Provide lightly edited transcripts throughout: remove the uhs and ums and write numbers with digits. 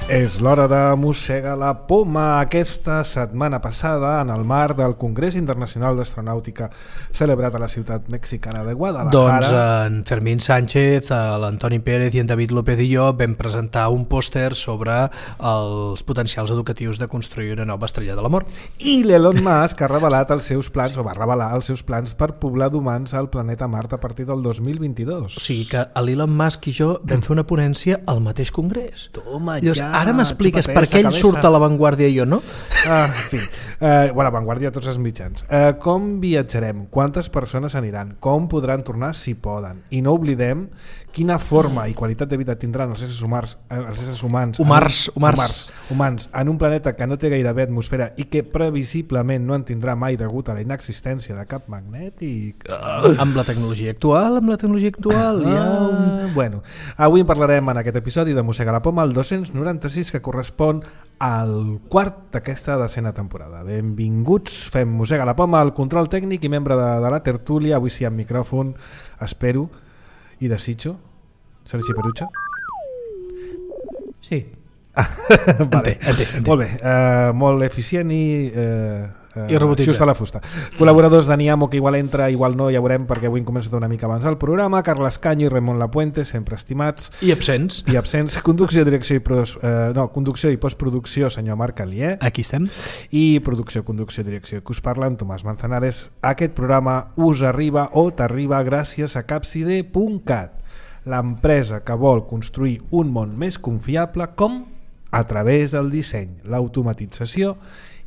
És l'hora de mossegar la poma. Aquesta setmana passada, en el marc del Congrés Internacional d'Astronàutica celebrat a la ciutat mexicana de Guadalajara, doncs en Fermín Sánchez, l'Antoni Pérez i en David López i jo vam presentar un pòster sobre els potencials educatius de construir una nova estrella de la mort. I l'Elon Musk ha revelat els seus plans, o va revelar els seus plans per poblar d'humans al planeta Mart a partir del 2022. O sigui que l'Elon Musk i jo vam fer una ponència al mateix congrés. Toma Llavors, ja, ara m'expliques per què ell cabeza. surt a La Vanguardia i jo no? En fi, bueno, Vanguardia tots els mitjans. Com viatjarem? Quantes persones aniran? Com podran tornar si poden? I no oblidem quina forma i qualitat de vida tindran els éssers humans en un planeta que no té gairebé atmosfera i que previsiblement no en tindrà mai degut a la inexistència de cap magnètic. Amb la tecnologia actual, Bueno, avui en parlarem en aquest episodi de Mossegar la Poma, el 296, que correspon al quart d'aquesta decena temporada. Benvinguts, fem Mossegar la Poma, el control tècnic i membre de la tertúlia, avui sí amb micròfon, espero i desitjo, Sergi Perucha. Sí. Vale. Entenc. Molt bé, molt eficient i robotitzat. just a la fusta. Col·laboradors de Niamo, que igual entra, igual no, ja veurem, perquè avui hem començat una mica abans el programa. Carles Canyo i Ramon Lapuente, sempre estimats. I absents. Conducció, direcció conducció i postproducció, senyor Marc Alier. Aquí estem. I conducció, direcció, que us parlen Tomàs Manzanares. Aquest programa us arriba o t'arriba gràcies a Capside.cat, l'empresa que vol construir un món més confiable, com? A través del disseny, l'automatització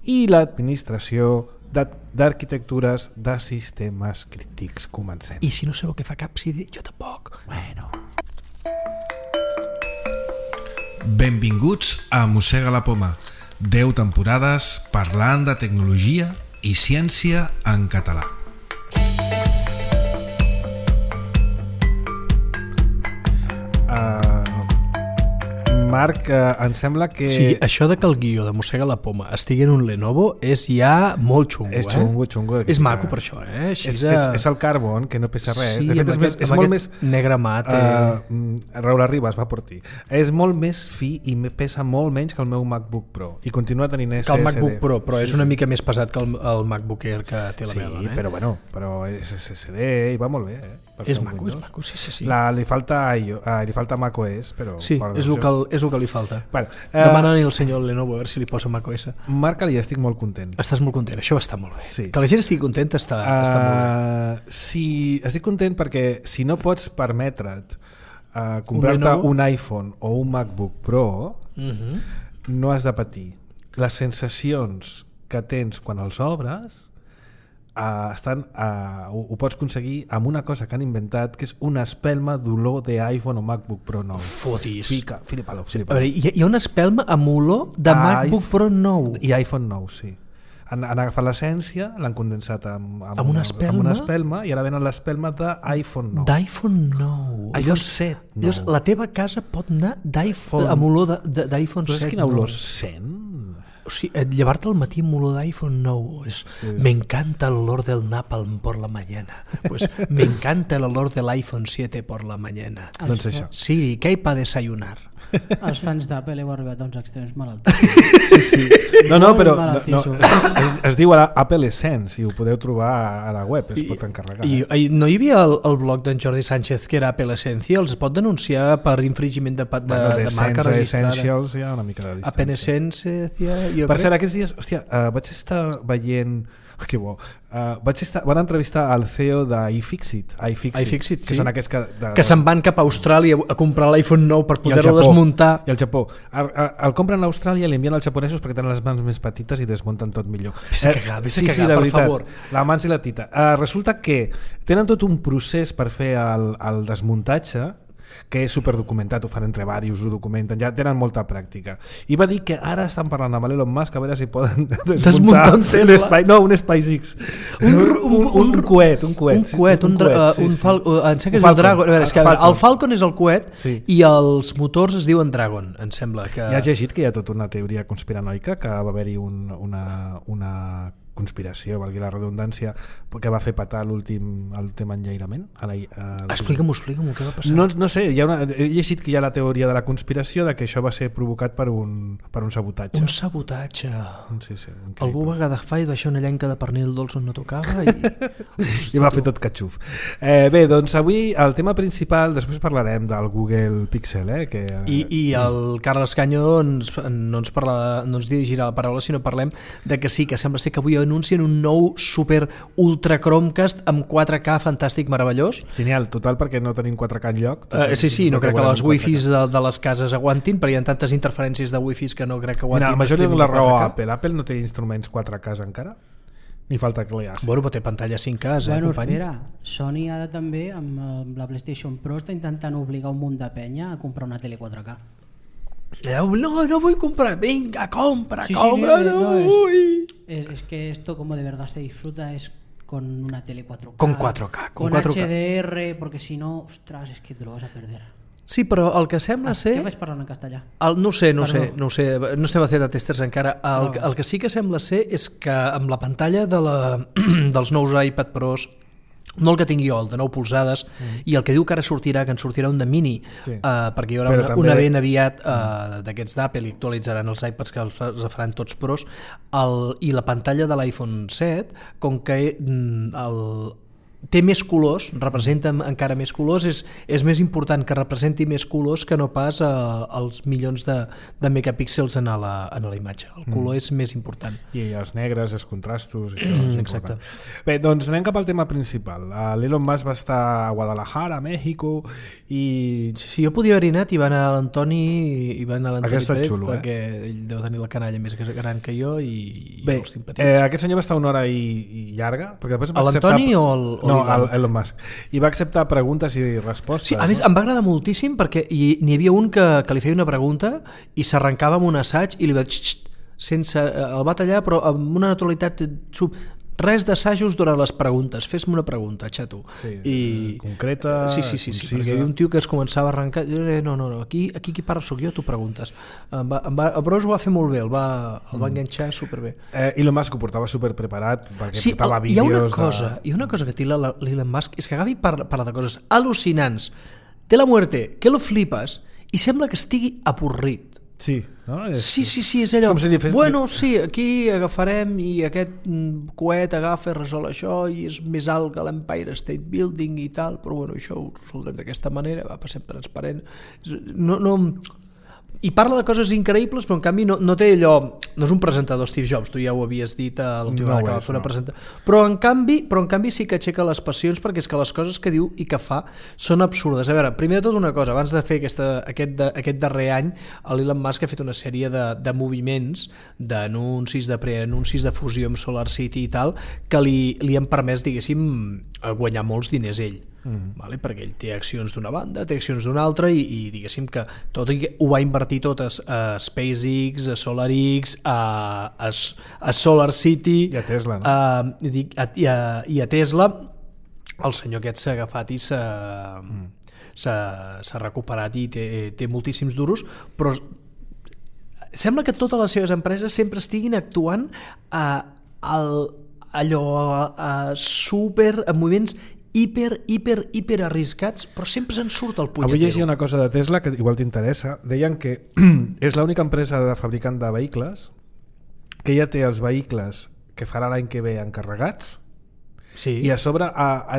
i l'administració d'arquitectures de sistemes crítics. Comencem. I si no sabeu què fa Capside, jo tampoc. Bueno. Benvinguts a Mossega la Poma. 10 temporades parlant de tecnologia i ciència en català. Marc, em sembla que... Sí, això de que el guió de Mossega la Poma estigui en un Lenovo és ja molt xungo. És xungo. És maco per això, eh? És el carbon, que no pesa res. Sí, de fet, és molt més... negre mat. Raúl Arribas va per ti. És molt més fi i pesa molt menys que el meu MacBook Pro. I continua tenint SSD. Que el MacBook Pro, però és una mica més pesat que el MacBook Air que té la meva dona. Sí, però és SSD i va molt bé, És maco, sí. Li falta macOS, però... Sí, és el que li falta. Bueno, Demana-li al senyor Lenovo a veure si li posa macOS. Marc, ja estic molt content. Estàs molt content, això està molt bé. Sí. Que la gent estigui contenta està molt bé. Sí, estic content perquè si no pots permetre't comprar-te un iPhone o un MacBook Pro, no has de patir. Les sensacions que tens quan els obres ho pots aconseguir amb una cosa que han inventat, que és una espelma d'olor d'iPhone o MacBook Pro nou. Fotis. Flipa-lo. A veure, hi ha una espelma amb olor de MacBook Pro nou. I iPhone nou, sí. Han agafat l'essència, l'han condensat amb una espelma i ara venen l'espelma d'iPhone nou. d'iPhone nou. iPhone 7 nou. Llavors, la teva casa pot anar amb olor d'iPhone 7 nou. Saps quina olor sent? O sigui, llevar-te al matí amb olor d'iPhone nou me encanta el olor del napalm por la mañana, pues me encanta el olor del iPhone 7 por la mañana. Doncs això. Sí, què hi pa desayunar? Els fans d'Apple heu arribat a uns extrems malaltissos. Sí. No, però es diu Apple Essence i ho podeu trobar a la web, es pot encarregar. No hi havia el blog d'en Jordi Sánchez que era Apple Essential? Els pot denunciar per infringiment de marca registrada? Essentials hi ha una mica de distància. Apple Essence, per cert, aquests dies, vaig estar veient... Que bo. Van entrevistar al CEO d'iFixit, que són aquests que se'n van cap a Austràlia a comprar l'iPhone nou per poder-lo desmuntar. I al Japó. El compren a Austràlia i l'envien als japonesos perquè tenen les mans més petites i desmunten tot millor. Vés a cagar, per favor. La mans i la tita. Resulta que tenen tot un procés per fer el desmuntatge, que és superdocumentat, ho fan entre diversos, ho documenten, ja tenen molta pràctica. I va dir que ara estan parlant amb l'Elon Musk a veure si poden desmuntar un SpaceX. Un coet. El Falcon és el coet i els motors es diuen Dragon, em sembla que... Ja has llegit que hi ha tota una teoria conspiranoica que va haver-hi una conspiració, valgui la redundància, que va fer patar l'últim enllairament? Explica-m'ho, què va passar? No sé, he llegit que hi ha la teoria de la conspiració de que això va ser provocat per un sabotatge. Un sabotatge. Sí, algú va agafar i deixar una llenca de pernil dolç on no tocava i... I va fer tot catxuf. Bé, doncs avui el tema principal, després parlarem del Google Pixel, I el Carles Canyo no ens dirigirà la paraula, sinó parlem de que sí, que sembla ser que avui anuncien un nou super ultra Chromecast amb 4K fantàstic, meravellós. Genial, total, perquè no tenim 4K enlloc. Sí, no crec que les wifis de les cases aguantin, perquè hi ha tantes interferències de wifis que no crec que aguantin. Mira, major li la raó a Apple. Apple no té instruments 4K encara? Ni falta que li hagi. Bueno, però té pantalla 5K, bueno, company? Espera, Sony ara també amb la PlayStation Pro està intentant obligar un munt de penya a comprar una tele 4K. No vull comprar, venga, compra, Sí, no vull. Es que esto como de verdad se disfruta es con una tele 4K. Con 4K. Con 4K. HDR, porque si no, ostras, es que te lo vas a perder. Sí, però el que sembla ser... Què vaig parlant en castellà? No sé, no estem a fer de testers encara. El que sí que sembla ser és que amb la pantalla dels nous iPad Pros, no el que tingui jo, el de 9 polzades, i el que diu que ara sortirà, que en sortirà un de mini, perquè hi haurà una ben aviat d'aquests d'Apple i actualitzaran els iPads que els faran tots pros, i la pantalla de l'iPhone 7, com que té més colors, representa encara més colors, és més important que representi més colors que no pas els milions de megapíxels en la imatge. El color és més important. I els negres, els contrastos, això és exacte. Important. Bé, doncs anem cap al tema principal. L'Elon Musk va estar a Guadalajara, a México, i... Sí, jo podia haver anat i va anar a l'Antoni Pérez, xulo, perquè ell deu tenir la canalla més gran que jo i bé, els simpàtics. Aquest senyor va estar una hora i llarga, perquè després va l'Antoni o No, Elon Musk. I va acceptar preguntes i respostes. Sí, a més, em va agradar moltíssim perquè n'hi havia un que li feia una pregunta i s'arrencava amb un assaig i li va el va tallar, però amb una naturalitat res d'assajos durant les preguntes, fes-me una pregunta, xato. Sí, concreta, sí, perquè hi havia un tio que es començava a arrencar, no, aquí qui parla sóc jo, tu preguntes. Però ho va fer molt bé, el va enganxar superbé. Elon Musk ho portava superpreparat perquè portava vídeos... Hi ha una cosa que té l'Elon Musk, és que agafi parla de coses al·lucinants, de la muerte, que lo flipes, i sembla que estigui avorrit. Sí, no? Sí, és allò. Bueno, sí, aquí agafarem i aquest coet agafa i resol això i és més alt que l'Empire State Building i tal, però bueno, això ho resoldrem d'aquesta manera, passem transparent. I parla de coses increïbles, però en canvi no té allò, no és un presentador Steve Jobs, tu ja ho havies dit a l'última vegada que va fer una presentació, però en canvi sí que aixeca les passions, perquè és que les coses que diu i que fa són absurdes. A veure, primer de tot una cosa, abans de fer aquest darrer any, l'Elon Musk ha fet una sèrie de moviments, d'anuncis, de preanuncis de fusió amb SolarCity i tal, que li han permès, diguéssim, guanyar molts diners ell. Vale? Perquè ell té accions d'una banda, té accions d'una altra i diguéssim que tot ho va invertir tot a SpaceX, a SolarX, a SolarCity i a Tesla, no? I a Tesla. El senyor aquest s'ha agafat i s'ha recuperat i té moltíssims duros, però sembla que totes les seves empreses sempre estiguin actuant super en moviments hiper arriscats, però sempre se'n surt el punyetero. Avui llegia una cosa de Tesla que igual t'interessa. Deien que és l'única empresa de fabricant de vehicles que ja té els vehicles que farà l'any que ve encarregats, i a sobre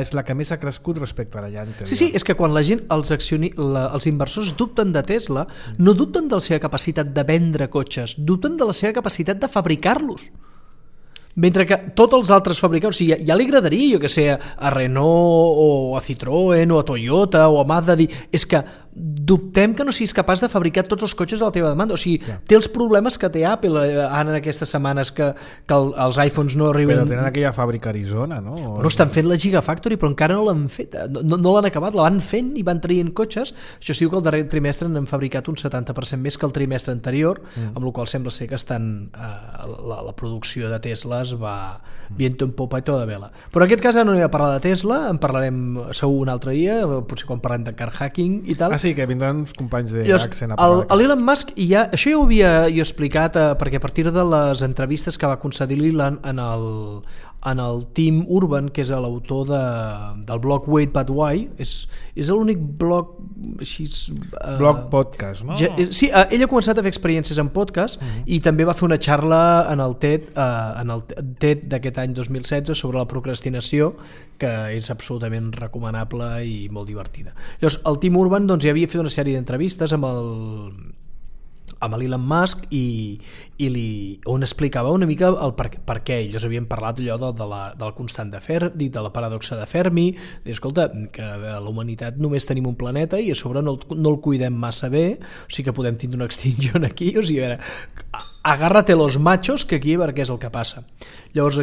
és la que més ha crescut respecte a l'any anterior. Sí, és que quan la gent, els inversors dubten de Tesla, no dubten de la seva capacitat de vendre cotxes, dubten de la seva capacitat de fabricar-los. Mentre que tots els altres fabricants, o sigui, ja li agradaria, jo que sé, a Renault o a Citroën o a Toyota o a Mazda, dir, és que dubtem que no siguis capaç de fabricar tots els cotxes a la teva demanda. O sigui, té els problemes que té Apple en aquestes setmanes que els iPhones no arriben... Però tenen aquella fàbrica a Arizona, no? Bueno, estan fent la Gigafactory, però encara no l'han fet. No l'han acabat, la van fent i van traient cotxes. Això es diu que el darrer trimestre n'han fabricat un 70% més que el trimestre anterior, amb la qual sembla ser que la producció de Tesla es va viento en popa i toda vela. Però en aquest cas no hi ha parlar de Tesla, en parlarem segur un altre dia, potser quan parlem de car hacking i tal. Sí, sí, que vindran uns companys d'Accent a parlar. L'Elon Musk, això ja ho havia explicat, perquè a partir de les entrevistes que va concedir l'Elon en el Tim Urban, que és l'autor del blog Wait But Why, és l'únic blog així... blog podcast, no? Sí, ell ha començat a fer experiències en podcast i també va fer una xarla en el TED d'aquest any 2016 sobre la procrastinació, que és absolutament recomanable i molt divertida. Llavors, el Tim Urban ja havia fet una sèrie d'entrevistes amb l'Elon Musk on explicava una mica el per què ells havien parlat allò del constant de Fermi, de la paradoxa de Fermi, i escolta, que la humanitat només tenim un planeta i a sobre no el cuidem massa bé, o sigui que podem tindre una extinció aquí, o sigui, a veure, agárrate los machos, que aquí a veure què és el que passa. Llavors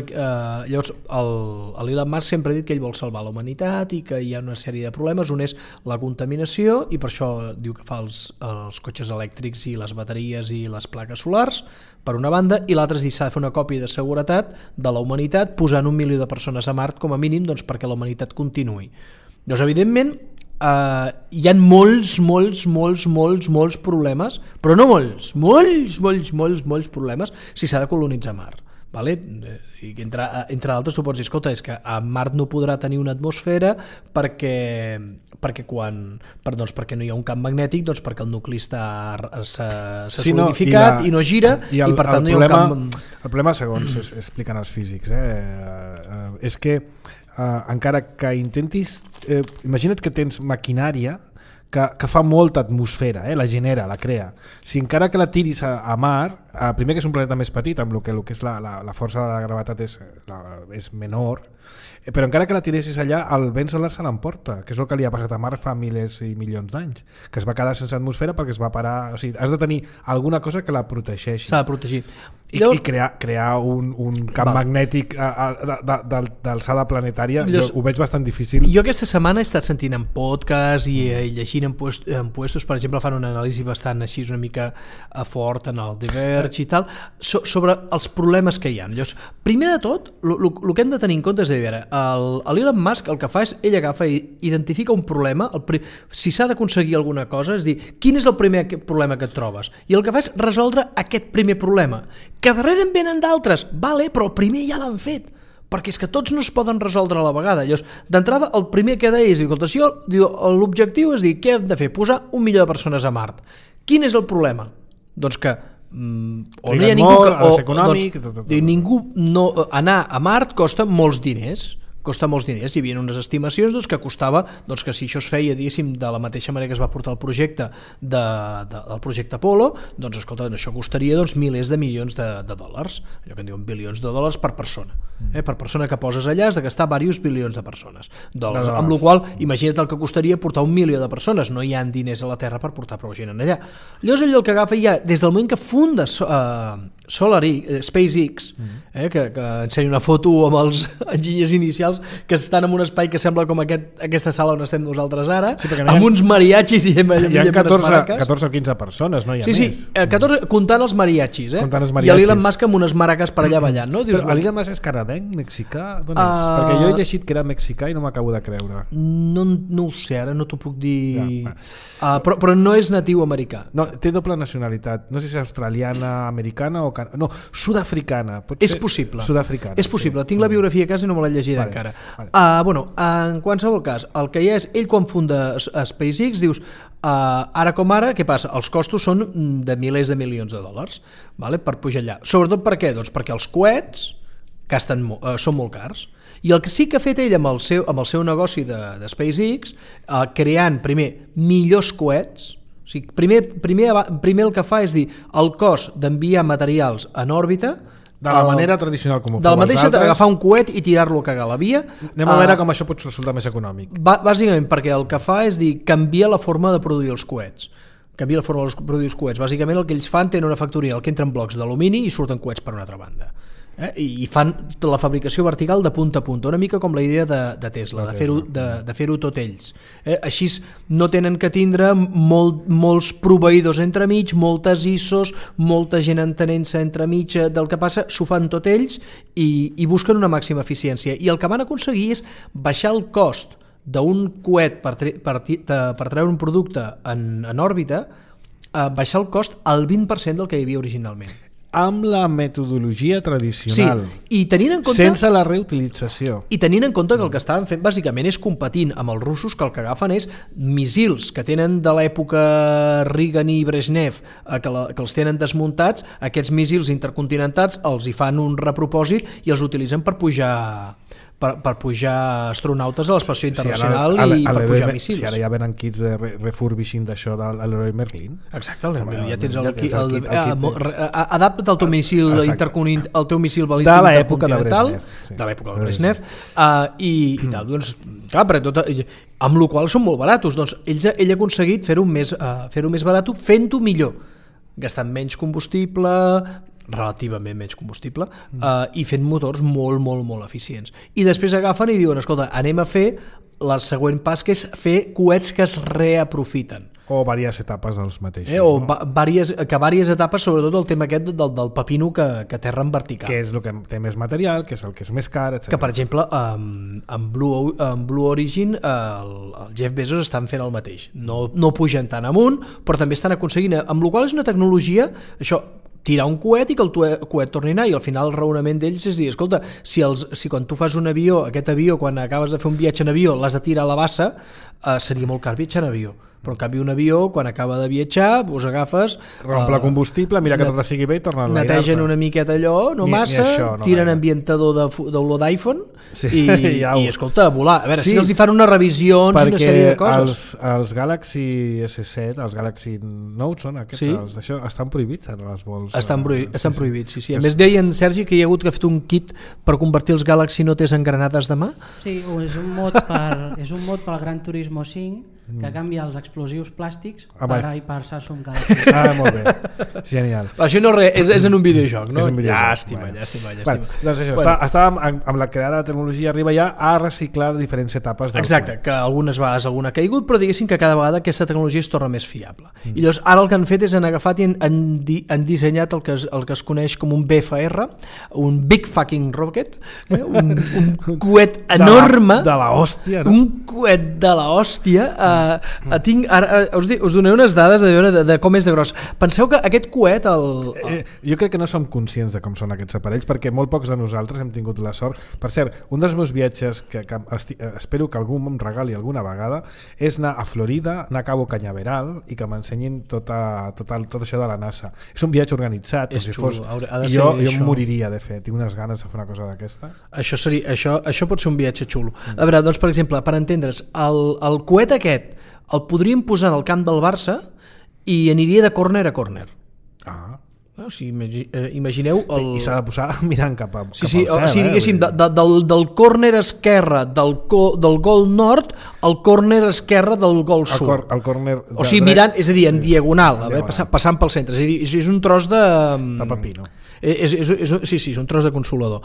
l'Elon Musk sempre ha dit que ell vol salvar la humanitat i que hi ha una sèrie de problemes. Un és la contaminació, i per això diu que fa els cotxes elèctrics i les bateries i les plaques solars, per una banda, i l'altre és dir, s'ha de fer una còpia de seguretat de la humanitat posant 1 milió de persones a Mart com a mínim, doncs, perquè la humanitat continuï. Llavors, evidentment, hi ha molts problemes, però no molts problemes si s'ha de colonitzar Mart. Vale? I entre altres tu pots dir, escolta, és que a Mart no podrà tenir una atmosfera perquè no hi ha un camp magnètic, doncs perquè el nucli s'ha solidificat i no gira, i per tant no hi ha un camp... El problema, segons expliquen els físics, és que encara que intentis... imagina't que tens maquinària que fa molta atmosfera, la genera, la crea. Si encara que la tiris a Mart, primer que és un planeta més petit, amb el que és la força de la gravetat és menor, però encara que la tiressis allà, el vent solar se l'emporta, que és el que li ha passat a Mart fa milers i milions d'anys, que es va quedar sense atmosfera perquè es va parar... O sigui, has de tenir alguna cosa que la protegeixi. S'ha de protegir. I crear un camp magnètic d'alçada planetària, ho veig bastant difícil. Jo aquesta setmana he estat sentint en podcast i llegint en puestos, per exemple, fan una anàlisi bastant així una mica fort en el The Verge i tal, sobre els problemes que hi ha. Llavors, primer de tot, el que hem de tenir en compte és de veure, l'Elon Musk el que fa és, ell agafa i identifica un problema, si s'ha d'aconseguir alguna cosa, és dir, quin és el primer problema que et trobes? I el que fa és resoldre aquest primer problema, que darrere en venen d'altres, vale, però el primer ja l'han fet, perquè és que tots no es poden resoldre a la vegada. Llavors, d'entrada, el primer que deia és, l'objectiu és dir, què hem de fer? Posar 1 milió de persones a Mart. Quin és el problema? Doncs que o no hi ha ningú anar a Mart costa molts diners. Hi havia unes estimacions que costava, que si això es feia, diguéssim, de la mateixa manera que es va portar el projecte del projecte Apollo, doncs escolta, això costaria milers de milions de dòlars, allò que en diuen bilions de dòlars per persona. Per persona que poses allà has de gastar diversos bilions de persones dòlars, amb la qual imagina't el que costaria portar 1 milió de persones. No hi ha diners a la Terra per portar prou gent allà. Llavors ell el que agafa ja, des del moment que funda SpaceX, que ensenya una foto amb els enginyers inicials que estan en un espai que sembla com aquesta sala on estem nosaltres ara, amb uns mariachis i hi ha 14 o 15 persones, no hi ha més. Sí, 14, comptant els mariachis, i l'Elon Musk amb unes maracas per allà ballant, no? Però l'Elon Musk és canadenc, mexicà? D'on és? Perquè jo he llegit que era mexicà i no m'acabo de creure. No ho sé, ara no t'ho puc dir... Però no és natiu americà. No, té doble nacionalitat. No sé si és australiana, americana o... No, sud-africana. És possible. Sud-africana. És possible. Tinc la biografia a casa i no me l'he llegida encara. En qualsevol cas, el que hi ha és, ell quan funda SpaceX, dius, ara com ara, què passa? Els costos són de milers de milions de dòlars, per pujar allà. Sobretot per què? Doncs perquè els coets són molt cars. I el que sí que ha fet ell amb el seu negoci de SpaceX, creant primer millors coets, o sigui, primer el que fa és dir el cost d'enviar materials en òrbita de la manera tradicional com ho de la mateixa, agafar un coet i tirar-lo a cagar la via. Anem a veure com això pot resultar més econòmic. Bàsicament perquè el que fa és dir canviar la forma de produir els coets. Bàsicament el que ells fan, tenen una factoria en què entren blocs d'alumini i surten coets per una altra banda. I fan la fabricació vertical de punta a punta, una mica com la idea de Tesla, de fer-ho tot ells. Així no tenen que tindre molts proveïdors entremig, moltes ISOs, molta gent entenent-se entremig del que passa, s'ho fan tot ells i busquen una màxima eficiència. I el que van aconseguir és baixar el cost d'un coet per treure un producte en òrbita, baixar el cost al 20% del que hi havia originalment. Amb la metodologia tradicional, i tenint en compte, sense la reutilització. I tenint en compte que el que estaven fent bàsicament és competint amb els russos, que el que agafen és missils que tenen de l'època Reagan i Brezhnev, que els tenen desmuntats, aquests missils intercontinentals els hi fan un repropòsit i els utilitzen per pujar astronautes a l'estació internacional i per pujar míssils. Si ara ja venen kits de refurbishing d'això de l'Heroi Merlin. Exacte, ja tens el kit. Adapta't al teu míssil al teu míssil balístic de l'època de Brezhnev. De l'època de Brezhnev. I tal, doncs, clar, amb la qual són molt baratos. Doncs ell ha aconseguit fer-ho més barat, fent-ho millor, gastant menys combustible, relativament menys combustible, i fent motors molt, molt, molt eficients. I després agafen i diuen, escolta, anem a fer el següent pas, que és fer coets que es reaprofiten. O diverses etapes dels mateixos. O diverses etapes, sobretot el tema aquest del pepino que aterra en vertical. Que és el que té més material, que és el que és més car, etc. Que, per exemple, en Blue Origin el Jeff Bezos estan fent el mateix. No pugen tant amunt, però també estan aconseguint, amb la qual és una tecnologia, això, tirar un coet i que el coet torni a anar, i al final el raonament d'ells és dir, escolta, si quan tu fas un avió, aquest avió, quan acabes de fer un viatge en avió, l'has de tirar a la bassa, seria molt car viatjar en avió. Però en canvi un avió, quan acaba de viatjar, us agafes... Romple combustible, mira que tot estigui bé i torna a enlairar-se. Netegen una miqueta allò, no massa, tiren ambientador d'olor d'iPhone i escolta, a volar. A veure, si els hi fan unes revisions, una sèrie de coses. Perquè els Galaxy S7, els Galaxy Note, són aquests, això estan prohibits ara els vols. Estan prohibits, sí. A més, deien, Sergi, que hi ha hagut que ha fet un kit per convertir els Galaxy Notes en granades de mà. Sí, és un mod pel Gran Turismo 5, que canvia els explosius plàstics per Samsung Galaxy. Molt bé, genial. Això no és en un videojoc, no? És un videojoc. Llàstima. Doncs això, estàvem amb la que ara la tecnologia arriba ja a reciclar diferents etapes del Exacte, que algunes vegades alguna ha caigut, però diguéssim que cada vegada aquesta tecnologia es torna més fiable. I llavors ara el que han fet és han agafat i han dissenyat el que es coneix com un BFR, un Big Fucking Rocket, un coet enorme, de la hòstia, no? Un coet de la hòstia. Us donaré unes dades de com és de gros. Penseu que aquest coet jo crec que no som conscients de com són aquests aparells, perquè molt pocs de nosaltres hem tingut la sort. Per cert, un dels meus viatges que espero que algú em regali alguna vegada és anar a Florida, anar a Cabo Cañaveral i que m'ensenyin tot això de la NASA. És un viatge organitzat, és xulo, i jo em moriria de fer, tinc unes ganes de fer una cosa d'aquesta. Això pot ser un viatge xulo. A veure, doncs, per exemple, per entendre's, el coet aquest el podríem posar en el camp del Barça i aniria de córner a córner. O sigui, imagineu I s'ha de posar mirant cap al cel. O sigui, diguéssim, del córner esquerre del gol nord al córner esquerre del gol sud. O sigui, mirant, és a dir, en diagonal, passant pel centre. És un tros de pepino. Sí, és un tros de consolador.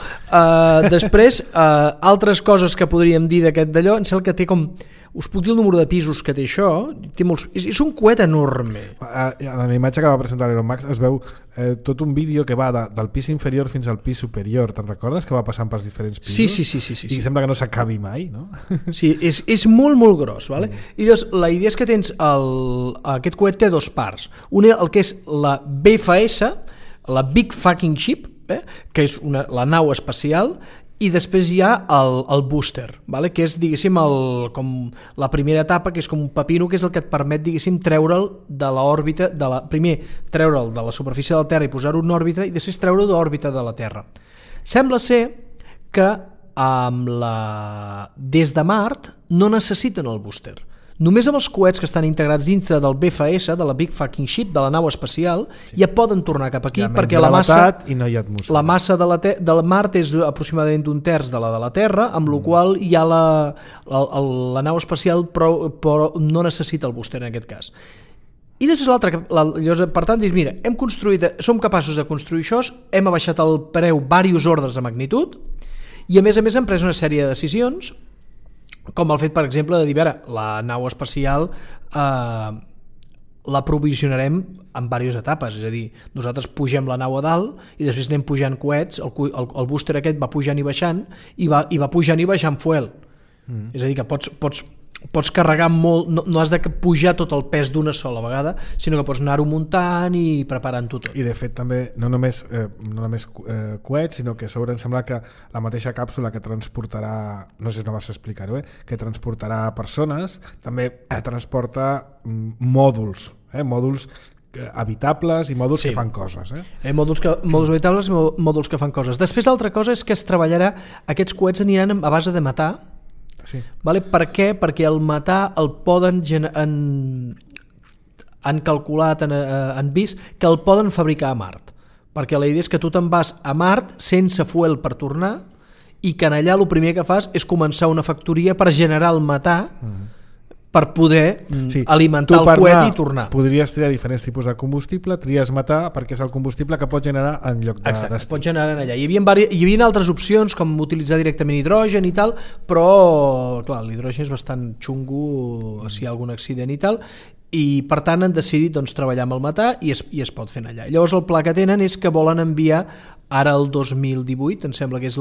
Després, altres coses que podríem dir d'aquest d'allò, em sembla que té com... Us puc dir el número de pisos que té això? És un coet enorme. En la imatge que va presentar l'Elon Musk es veu tot un vídeo que va del pis inferior fins al pis superior. Te'n recordes? Que va passant pels diferents pisos? Sí. I sembla que no s'acabi mai, no? Sí, és molt, molt gros. Vale? I llavors, la idea és que tens... Aquest coet té dos parts. Una, el que és la BFS, la Big Fucking Ship, que és la nau espacial, i després hi ha el booster, vale? Que és, diguéssim, com la primera etapa, que és com un pepino, que és el que et permet, diguéssim, treure'l de l'òrbita, primer treure'l de la superfície de la Terra i posar-ho en òrbita, i després treure'l de l'òrbita de la Terra. Sembla ser que des de Mart no necessiten el booster. Només amb els coets que estan integrats dintre del BFS, de la Big Fucking Ship, de la nau espacial, ja poden tornar cap aquí, perquè la massa de Mart és aproximadament d'un terç de la Terra, amb la qual hi ha la nau espacial, però no necessita el booster en aquest cas. I després l'altre, per tant, dius, mira, som capaços de construir això, hem abaixat el preu diversos ordres de magnitud, i a més hem pres una sèrie de decisions, com el fet, per exemple, de dir, la nau espacial la provisionarem en diverses etapes, és a dir, nosaltres pugem la nau a dalt i després anem pujant coets, el booster aquest va pujant i baixant i va pujant i baixant fuel. És a dir, que pots carregar molt, no has de pujar tot el pes d'una sola vegada, sinó que pots anar-ho muntant i preparant-ho tot. I de fet també no només coets, sinó que a sobre em sembla que la mateixa càpsula que transportarà, no sé si no vas explicar-ho, que transportarà persones, també transporta mòduls habitables i mòduls que fan coses. Mòduls habitables i mòduls que fan coses. Després l'altra cosa és que es treballarà, aquests coets aniran a base de metà. Vale? Per què? Perquè el metà el poden han calculat, han vist que el poden fabricar a Mart, perquè la idea és que tu te'n vas a Mart sense fuel per tornar i que en allà el primer que fas és començar una factoria per generar el metà per poder alimentar el coet i tornar. Podries triar diferents tipus de combustible, tries metà perquè és el combustible que pots generar en lloc de destí. Pots generar allà. Hi havia altres opcions com utilitzar directament hidrogen i tal, però clar, l'hidrogen és bastant xungo si hi ha algun accident i tal, i per tant han decidit treballar amb el metà i es pot fer allà. Llavors el pla que tenen és que volen enviar ara el 2018, em sembla que és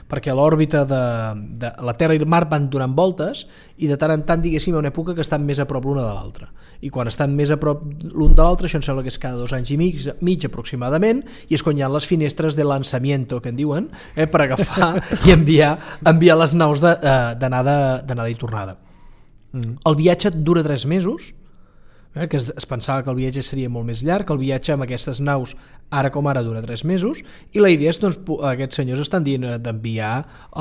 perquè a l'òrbita de la Terra i el Mart van donant voltes i de tant en tant, diguéssim, hi ha una època que estan més a prop l'una de l'altra, i quan estan més a prop l'un de l'altre, això em sembla que és cada 2 anys i mig aproximadament, i és quan hi ha les finestres de lançamiento que en diuen, per agafar i enviar les naus d'anada i tornada. El viatge dura 3 mesos, que es pensava que el viatge seria molt més llarg. El viatge amb aquestes naus ara com ara dura 3 mesos i la idea és, aquests senyors estan dient d'enviar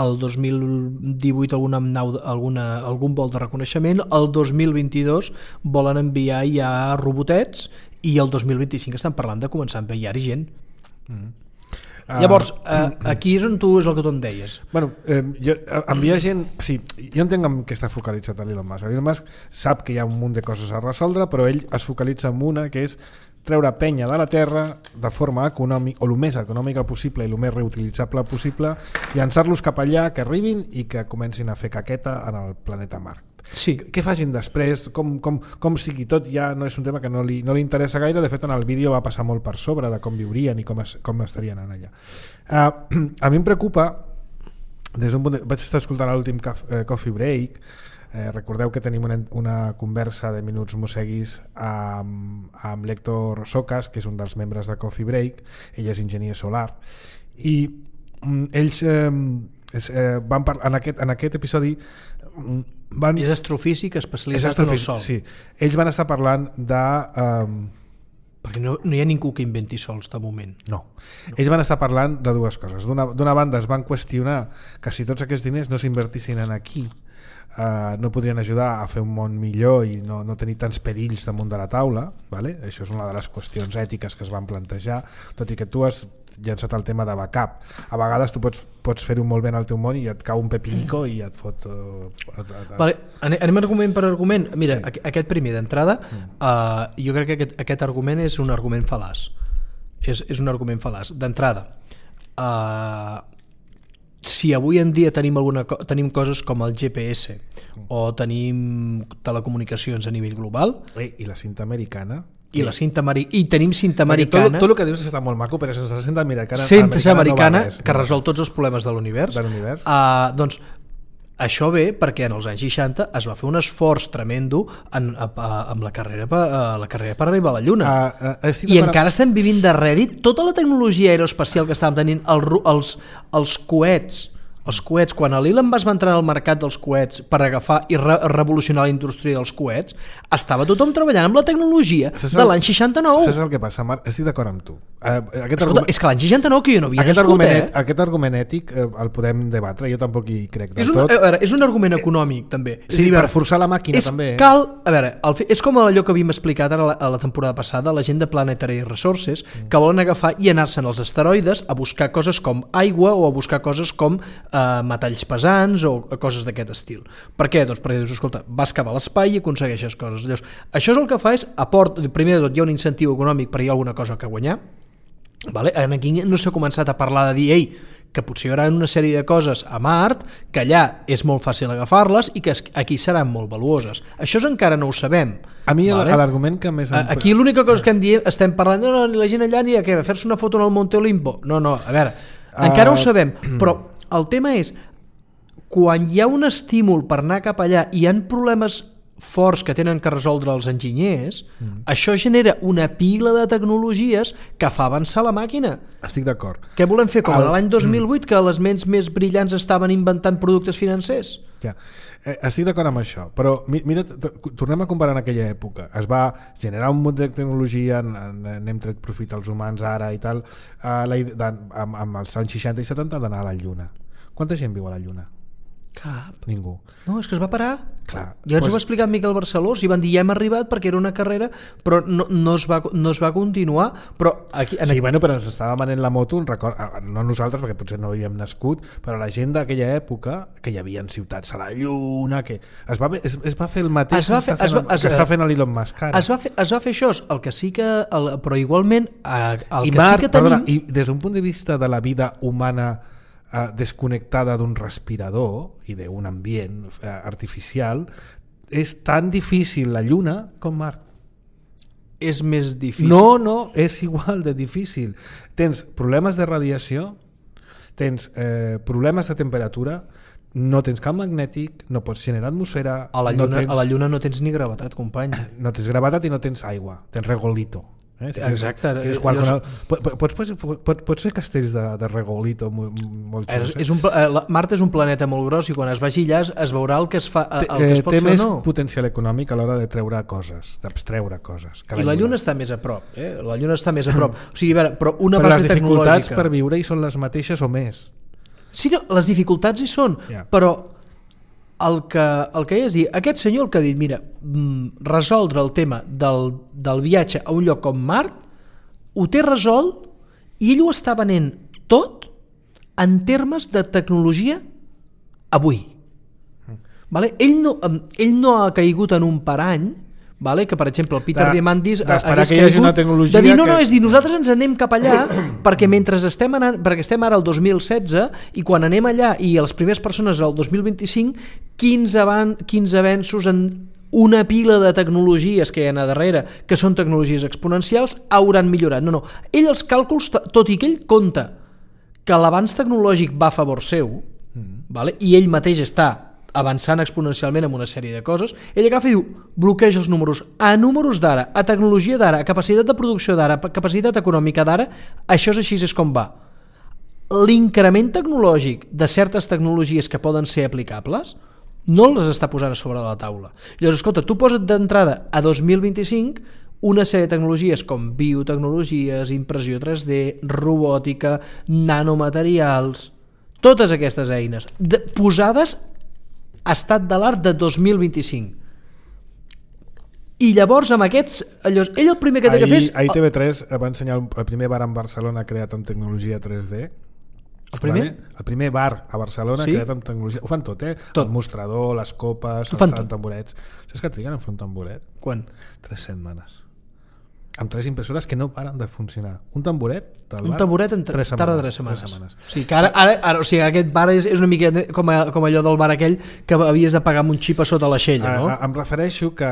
el 2018 algun vol de reconeixement, el 2022 volen enviar ja robotets i el 2025 estan parlant de començar a enviar-hi gent. Llavors, aquí és on és el que tu em deies. Enviar gent, sí, jo entenc que està focalitzat a l'Elon Musk. Elon Musk sap que hi ha un munt de coses a resoldre, però ell es focalitza en una, que és treure penya de la Terra de forma econòmica, o el més econòmica possible i el més reutilitzable possible, llançar-los cap allà, que arribin i que comencin a fer caqueta en el planeta Mart. Sí. Què facin després, com sigui tot, ja no és un tema que no li interessa gaire. De fet, en el vídeo va passar molt per sobre de com viurien i com estarien allà. A mi em preocupa, vaig estar escoltant l'últim Coffee Break. Recordeu que tenim una conversa de minuts mosseguis amb l'Héctor Socas, que és un dels membres de Coffee Break. Ell és enginyer solar i ells van parlar en aquest episodi. És astrofísic especialitzat en el sol. Sí. Ells van estar parlant de perquè no hi ha ningú que inventi sols de moment. No. Ells van estar parlant de dues coses. D'una banda es van qüestionar que si tots aquests diners no s'invertissin en aquí, no podrien ajudar a fer un món millor i no tenir tants perills damunt de la taula, vale? Això és una de les qüestions ètiques que es van plantejar, tot i que tu has llançat el tema de backup. A vegades tu pots fer-ho molt bé en el teu món i et cau un pepinico i et fot... Vale, anem argument per argument. Mira, sí. Aquest primer d'entrada, jo crec que aquest argument és un argument fal·laç. És un argument fal·laç. D'entrada, si avui en dia tenim coses com el GPS o tenim telecomunicacions a nivell global... I la cinta americana... I tenim cinta americana... Tot el que dius està molt maco, però sense la cinta americana no va res, que resol tots els problemes de l'univers. Doncs això ve perquè en els anys 60 es va fer un esforç tremendo amb la carrera per arribar a la Lluna. I encara estem vivint de rèdit tota la tecnologia aeroespacial que estàvem tenint, els coets. Els coets, quan l'Elon Musk va entrar al mercat dels coets per agafar i revolucionar la indústria dels coets, estava tothom treballant amb la tecnologia de l'any 69. Saps el que passa, Marc? Estic d'acord amb tu. Escolta, és que l'any 69 que jo no havia nascut, Aquest argument ètic el podem debatre, jo tampoc hi crec del tot. És un argument econòmic, també. Sí, per forçar la màquina, també. És com allò que havíem explicat ara a la temporada passada, la gent de Planetary Resources, que volen agafar i anar-se'n als asteroides a buscar coses com aigua o a buscar coses com metalls pesants o coses d'aquest estil. Per què? Doncs perquè dius, escolta, vas cap a l'espai i aconsegueixes coses. Llavors, això és el que fa és, primer de tot hi ha un incentiu econòmic perquè hi ha alguna cosa que guanyar. Vale? Aquí no s'ha començat a parlar de dir que potser hi haurà una sèrie de coses a Mart, que allà és molt fàcil agafar-les i que aquí seran molt valuoses. Això encara no ho sabem. A mi l'argument que més... Aquí l'única cosa que estem parlant, no, la gent allà ni a què, a fer-se una foto en el Monte Olimpo. No, a veure, encara ho sabem, però el tema és, quan hi ha un estímul per anar cap allà i hi ha problemes forts que tenen que resoldre els enginyers, això genera una pila de tecnologies que fa avançar la màquina. Estic d'acord. Què volem fer? Com l'any 2008, que les ments més brillants estaven inventant productes financers? Ja. Estic d'acord amb això, però mira, tornem a comparar en aquella època. Es va generar un munt de tecnologia, n'hem tret profit als humans ara i tal, amb els anys 60 i 70 d'anar a la Lluna. Quanta gent viu a la Lluna? Cap. Ningú. No, és que es va parar. Clar, ja ens ho va explicar Miquel Barceló, i van dir ja hem arribat perquè era una carrera, però no es va continuar. Però aquí, bueno, però ens estava venent la moto, no nosaltres perquè potser no havíem nascut, però la gent d'aquella època, que hi havia ciutats a la Lluna, que es va fer el mateix que està fent l'Elon Musk ara. Es va fer això, el que sí que però igualment el que Marc, sí que tenim... I des d'un punt de vista de la vida humana desconnectada d'un respirador i d'un ambient artificial, és tan difícil la Lluna com Mart. És més difícil. No, és igual de difícil. Tens problemes de radiació, tens problemes de temperatura, no tens camp magnètic, no pots generar atmosfera... A la Lluna no tens ni gravetat, company. No tens gravetat i no tens aigua, tens regolito. Exacte. Pots fer castells de regolito molt xulos. Mart és un planeta molt gros i quan es vagi allà es veurà el que es fa, el que es pot té fer més o no. Potencial econòmic a l'hora de treure coses, d'abstreure coses. I la Lluna està més a prop. La Lluna està més a prop. O sigui, a veure, però una però base les dificultats tecnològica... per viure hi són les mateixes o més. Sí, no, les dificultats hi són, però el que és dir, aquest senyor el que ha dit, mira, resoldre el tema del viatge a un lloc com Mart, ho té resolt i ell ho està venent tot en termes de tecnologia avui. Vale? Ell no ha caigut en un parany, vale? Que per exemple el Peter Diamandis d'esperar que hi hagi una tecnologia de dir, és dir, nosaltres ens anem cap allà perquè mentre estem ara al 2016 i quan anem allà i les primeres persones al 2025 quins avenços en una pila de tecnologies que hi ha a darrere, que són tecnologies exponencials, hauran millorat. No. Ell els càlculs, tot i que ell compta que l'avanç tecnològic va a favor seu, vale? I ell mateix està avançant exponencialment en una sèrie de coses, ell agafa i diu, bloqueja els números. A números d'ara, a tecnologia d'ara, a capacitat de producció d'ara, a capacitat econòmica d'ara, això és així, és com va. L'increment tecnològic de certes tecnologies que poden ser aplicables no les està posant a sobre de la taula. Llavors, escolta, tu posa't d'entrada a 2025 una sèrie de tecnologies com biotecnologies, impressió 3D, robòtica, nanomaterials, totes aquestes eines posades estat de l'art de 2025. I llavors amb aquests... ell el primer que té que fer és... Ahir TV3 va ensenyar el primer bar en Barcelona creat amb tecnologia 3D. El primer? El primer bar a Barcelona creat amb tecnologia... Ho fan tot, Tot. El mostrador, les copes, els tamborets. Saps que triguen a fer un tamboret? Quan? 3 setmanes. Amb 3 impressores que no paren de funcionar. Un tamboret del bar... Un tamboret tarda 3 setmanes. O sigui, que ara, o sigui, aquest bar és una mica com allò del bar aquell que havies de pagar amb un xip a sota l'aixella, no? Em refereixo que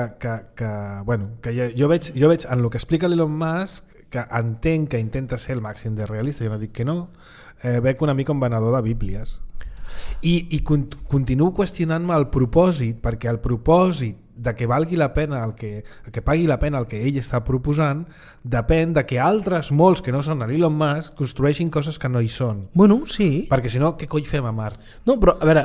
jo veig en el que explica l'Elon Musk, que entenc que intenta ser el màxim de realista, jo no dic que no, veig una mica un venedor de bíblies. I continuo qüestionant-me el propòsit, perquè el propòsit de que valgui la pena que pagui la pena el que ell està proposant depèn de que altres molts que no són l'Elon Musk construeixin coses que no hi són. Bueno, sí. Perquè si no, què coi fem a Mart? No, però a veure...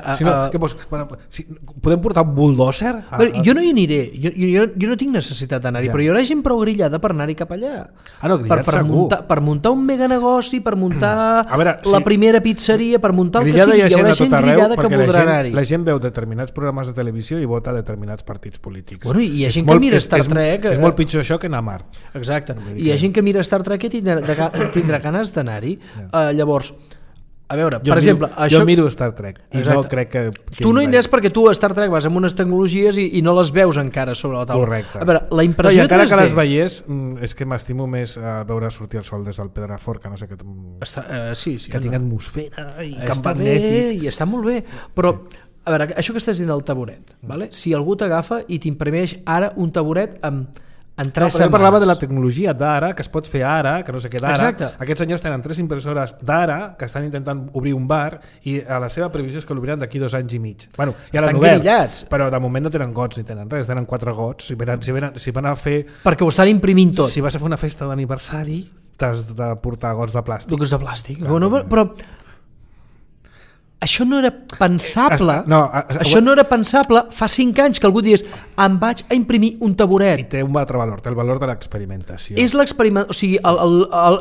podem portar un bulldozer? Jo no hi aniré, jo no tinc necessitat d'anar-hi, però hi haurà gent prou grillada per anar-hi cap allà. Per muntar un mega negoci, per muntar la primera pizzeria, per muntar el que sigui, hi haurà gent grillada que voldrà anar-hi. La gent veu determinats programes de televisió i vota determinats partits polítics. Bueno, i hi ha gent que mira Star Trek... És molt pitjor això que anar a Mart. Exacte. I hi ha gent que mira Star Trek i tindrà ganes d'anar-hi. Llavors, a veure, per exemple... Jo miro Star Trek i no crec que... Tu no hi aniràs perquè tu a Star Trek vas amb unes tecnologies i no les veus encara sobre la taula. Correcte. A veure, la impressió 3D... I encara que les veiés, és que m'estimo més veure sortir el sol des del Pedrafort, que no sé què... Que tinc atmosfera i camp magnètic. I està molt bé, però... A veure, això que estàs dient del taburet, vale? Si algú t'agafa i t'imprimeix ara un taburet amb en 3 setmanes. Jo parlava de la tecnologia d'ara, que es pot fer ara, que no sé què d'ara. Exacte. Aquests senyors tenen 3 impressores d'ara que estan intentant obrir un bar i a la seva previsió és que l'obriran d'aquí 2 anys i mig. Bueno, ja l'han obert, però de moment no tenen gots ni tenen res, tenen 4 gots. Si van a fer... Perquè ho estan imprimint tot. Si vas a fer una festa d'aniversari, t'has de portar gots de plàstic. Gots de plàstic. Bueno, però... Això no era pensable. Això no era pensable fa 5 anys que algú digués em vaig a imprimir un taburet. I té un altre valor, té el valor de l'experimentació. És l'experiment, o sigui,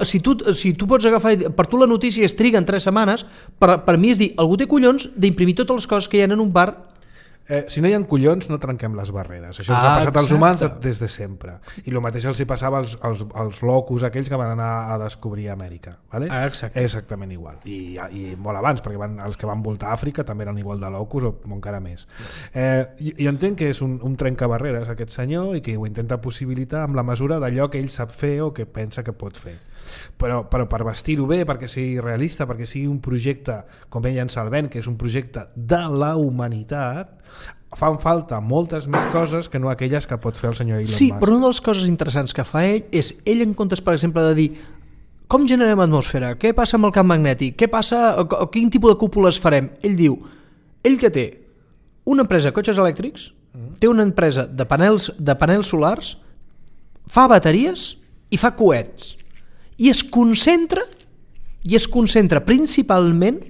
si tu pots agafar, per tu la notícia es triga en 3 setmanes, per mi és dir, algú té collons d'imprimir totes les coses que hi ha en un bar. Si no hi ha collons no trenquem les barreres, això ens ha passat als humans des de sempre, i el mateix els hi passava als locus aquells que van anar a descobrir Amèrica, vale? Exactament igual, i molt abans, perquè els que van voltar a Àfrica també eren igual de locus o encara més. I entenc que és un trencabarreres aquest senyor i que ho intenta possibilitar amb la mesura d'allò que ell sap fer o que pensa que pot fer, però per vestir-ho bé, perquè sigui realista, perquè sigui un projecte, com ell en Salvent, que és un projecte de la humanitat, fan falta moltes més coses que no aquelles que pot fer el senyor Elon Musk. Sí, però una de les coses interessants que fa ell en comptes, per exemple, de dir com generem atmosfera, què passa amb el camp magnètic, què passa, quin tipus de cúpules farem, ell diu, ell que té una empresa de cotxes elèctrics, té una empresa de panels solars, fa bateries i fa coets, i es concentra principalment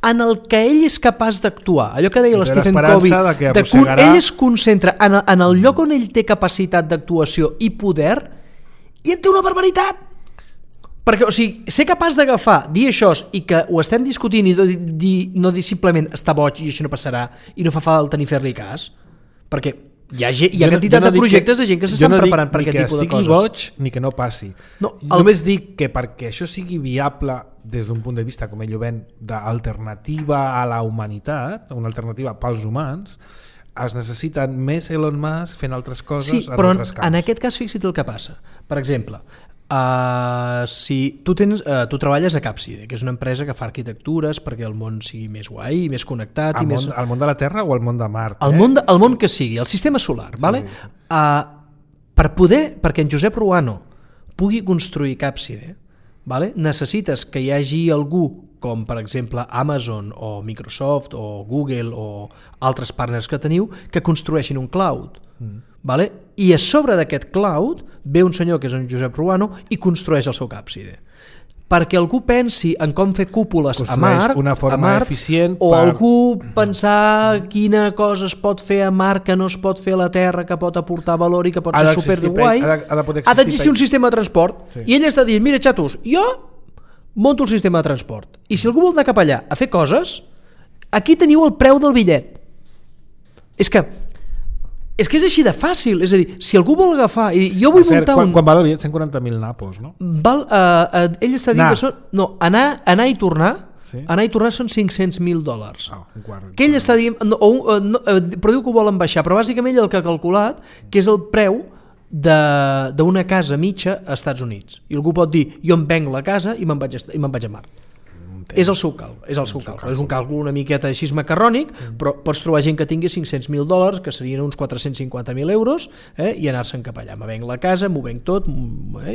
en el que ell és capaç d'actuar, allò que deia l'Stephen Covey, ell es concentra en el lloc on ell té capacitat d'actuació i poder, i en té una barbaritat, perquè, o sigui, ser capaç d'agafar, dir això i que ho estem discutint i no dir simplement està boig i això no passarà i no fa falta ni fer-li cas, perquè hi ha quantitat de projectes de gent que s'estan preparant per aquest tipus de coses. Jo no dic ni que estigui boig ni que no passi. Només dic que perquè això sigui viable des d'un punt de vista, com ell ho ven, d'alternativa a la humanitat, una alternativa pels humans, es necessiten més Elon Musk fent altres coses en altres camps. Sí, però en aquest cas fixa't el que passa. Per exemple, si tu treballes a Capside, que és una empresa que fa arquitectures perquè el món sigui més guai, més connectat... Al món de la Terra o al món de Mart? El món que sigui, el sistema solar. Sí, vale? Perquè en Josep Ruano pugui construir Capside, vale? Necessites que hi hagi algú com per exemple Amazon o Microsoft o Google o altres partners que teniu que construeixin un cloud. Vale? I a sobre d'aquest cloud ve un senyor que és en Josep Ruano i construeix el seu Capside. Perquè algú pensi en com fer cúpules a Mart, una forma eficient o algú pensar quina cosa es pot fer a Mart que no es pot fer a la Terra, que pot aportar valor i que pot ser superguai, ha d'existir un sistema de transport. Sí. I ell està dient, mira xatos, jo monto el sistema de transport i si algú vol anar cap allà a fer coses, aquí teniu el preu del bitllet. És que és així de fàcil, és a dir, si algú vol agafar i jo vull muntar quan val el bitllet? 140.000 napos, no? Ell està dient que són... No, anar i tornar, sí? Anar i tornar són $500.000. Que ell està dient... però diu que ho volen baixar, però bàsicament ell el que ha calculat que és el preu d'una casa mitja a Estats Units. I algú pot dir, jo em venc la casa i me'n vaig a Mart. És el seu càlcul, és un càlcul una miqueta així macarrònic, però pots trobar gent que tingui $500.000, que serien uns 450.000 euros, i anar-se'n cap allà. Me venc la casa, m'ho venc tot,